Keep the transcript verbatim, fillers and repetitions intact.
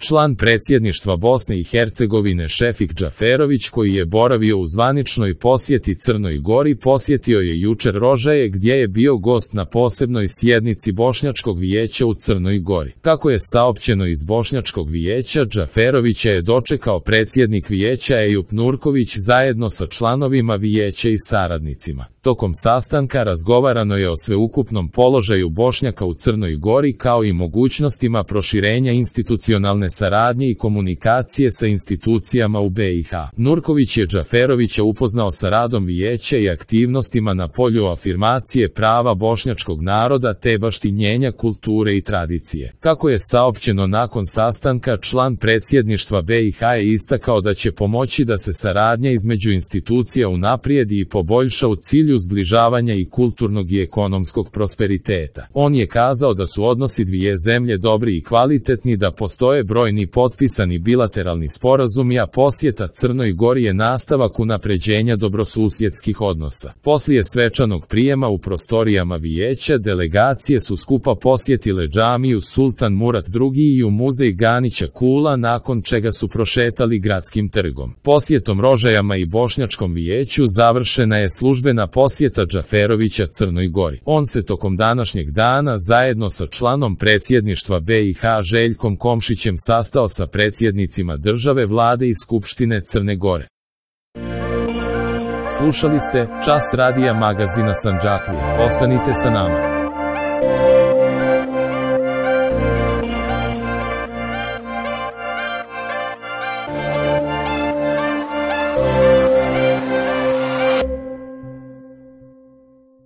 Član predsjedništva Bosne i Hercegovine Šefik Džaferović, koji je boravio u zvaničnoj posjeti Crnoj Gori, posjetio je jučer Rožaje gdje je bio gost na posebnoj sjednici Bošnjačkog vijeća u Crnoj Gori. Kako je saopćeno iz Bošnjačkog vijeća, Džaferovića je dočekao predsjednik vijeća Ejup Nurković zajedno sa članovima vijeća i saradnicima. Tokom sastanka razgovarano je o sveukupnom položaju Bošnjaka u Crnoj Gori kao i mogućnostima proširenja institucionalne saradnje i komunikacije sa institucijama u B i H. Nurković je Džaferovića upoznao sa radom vijeća i aktivnostima na polju afirmacije prava bošnjačkog naroda te baštinjenja kulture i tradicije. Kako je saopćeno nakon sastanka, član predsjedništva B i H je istakao da će pomoći da se saradnja između institucija unaprijedi i poboljša u cilju zbližavanja i kulturnog i ekonomskog prosperiteta. On je kazao da su odnosi dvije zemlje dobri i kvalitetni, da postoje brojni potpisani bilateralni sporazumi, a posjeta Crnoj Gori je nastavak unapređenja dobrosusjedskih odnosa. Poslije svečanog prijema u prostorijama vijeća, delegacije su skupa posjetile džamiju Sultan Murat drugi i u muzej Ganića Kula, nakon čega su prošetali gradskim trgom. Posjetom Rožajama i Bošnjačkom vijeću završena je službena posjeta Džaferovića Crnoj Gori. On se tokom današnjeg dana zajedno sa članom predsjedništva B i H Željkom Komšićem sastao sa predsjednicima države, vlade i Skupštine Crne Gore. Slušali ste Čas radija magazina Sandžaklija. Ostanite sa nama.